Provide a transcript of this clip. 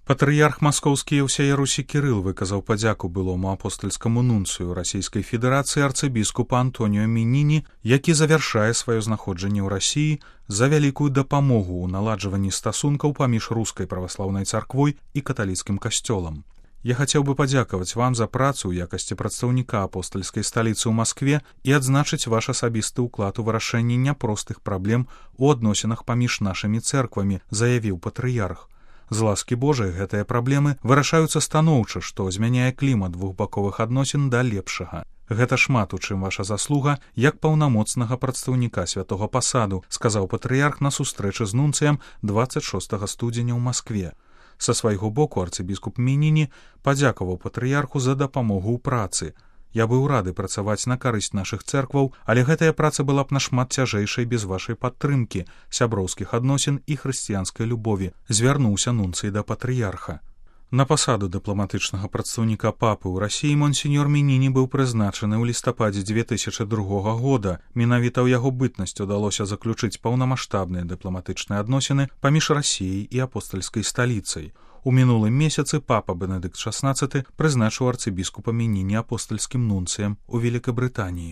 Патрыярх маскоўскі і ўсяе Русі Кірыл выказаў падзяку былому апостальскаму нунцыю Расійскай Федэрацыі арцыбіскупа Антоніо Меніні, які завяршае сваё знаходжанне ў Расіі за вялікую дапамогу ў наладжванні стасункаў паміж рускай праваслаўнай царквой і каталіцкім касцёлам. Я хацеў бы падзякаваць вам за працу ў якасці прадстаўніка апостальскай сталіцы ў Маскве і адзначыць ваш асабісты ўклад у вырашэнні няпростых праблем у адносінах паміж нашымі цэрквамі, заявіў патрыярх. З ласкі Божай гэтыя праблемы вырашаюцца станоўча, што змяняе клімат двухбаковых адносін да лепшага. Гэта шмат у чым ваша заслуга як паўнамоцнага прадстаўніка святога пасаду, сказаў патрыярх на сустрэчы з нунцыем 26 студзеня ў Маскве. Са свайго боку арцыбіскуп Меніні падзякаваў патрыярху за дапамогу ў працы. Я быў рады працаваць на карысць нашых цэркваў, але гэтая праца была б нашмат цяжэйшай без вашай падтрымкі, сяброўскіх адносін і хрысціянскай любові, звярнуўся нунцый да патрыярха. На пасаду дыпламатычнага прадстаўніка папы ў Расіі монсеньор Меніні быў прызначаны ў лістападзе 2002 года. Менавіта ў яго бытнасць удалося заключыць паўнамаштабныя дыпламатычныя адносіны паміж Расіяй і апостальскай сталіцай. У мінулым месяцы папа Бенедыкт XVI прызначыў арцыбіскупа Меніні апостальскім нунцыем у Великабрытаніі.